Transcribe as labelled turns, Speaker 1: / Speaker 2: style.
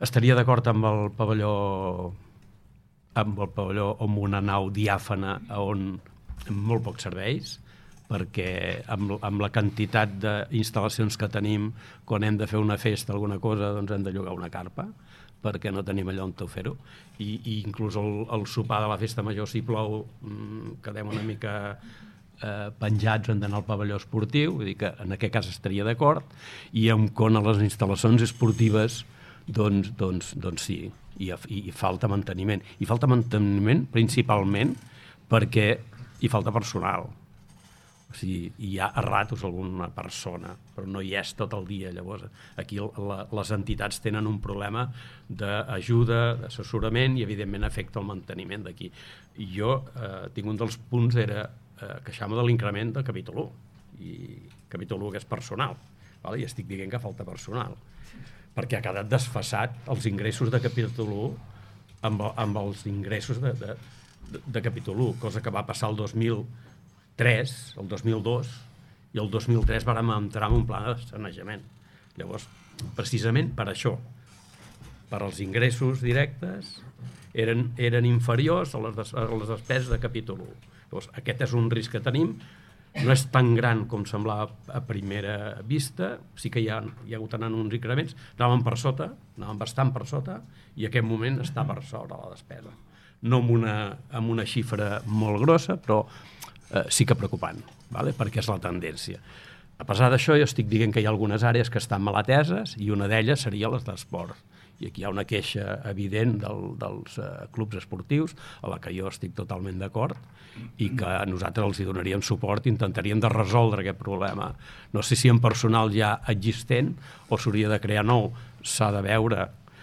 Speaker 1: Estaria d'acord amb el pavelló amb una nau diàfana on molt pocs serveis, perquè amb la quantitat d'instal·lacions que tenim, quan hem de fer una festa, alguna cosa, doncs hem de llogar una carpa, perquè no tenim allò on fer-ho. I inclús el sopar de la festa major, si plou, quedem una mica penjats, hem d'anar al pavelló esportiu, vull dir que en aquest cas estaria d'acord, i a les instal·lacions esportives, doncs sí, i falta manteniment. I falta manteniment principalment perquè hi falta personal. O sigui, hi ha a ratos alguna persona, però no hi és tot el dia. Llavors, aquí les entitats tenen un problema d'ajuda, d'assessorament, i evidentment afecta el manteniment d'aquí. I jo tinc un dels punts era queixar-me de l'increment de capítol 1, i capítol 1 que és personal, i estic dient que falta personal, perquè ha quedat desfasat els ingressos de capítol 1 amb els ingressos de capítol 1, cosa que va passar el 2003, el 2002, i el 2003 vàrem entrar en un pla de sanejament. Llavors, precisament per això, per als ingressos directes, eren inferiors a les despeses de capítol 1. Llavors, aquest és un risc que tenim, no és tan gran com semblava a primera vista, sí que hi ha hagut anant uns increments, anàvem bastant per sota, i en aquest moment està per sobre la despesa. No amb una xifra molt grossa, però sí que preocupant, perquè és la tendència. A pesar d'això, jo estic dient que hi ha algunes àrees que estan mal ateses, i una d'elles seria les d'esport. I aquí hi ha una queixa evident dels clubs esportius, a la que jo estic totalment d'acord, i que nosaltres els hi donaríem suport i intentaríem de resoldre aquest problema. No sé si en personal ja existent o s'hauria de crear nou, s'ha de veure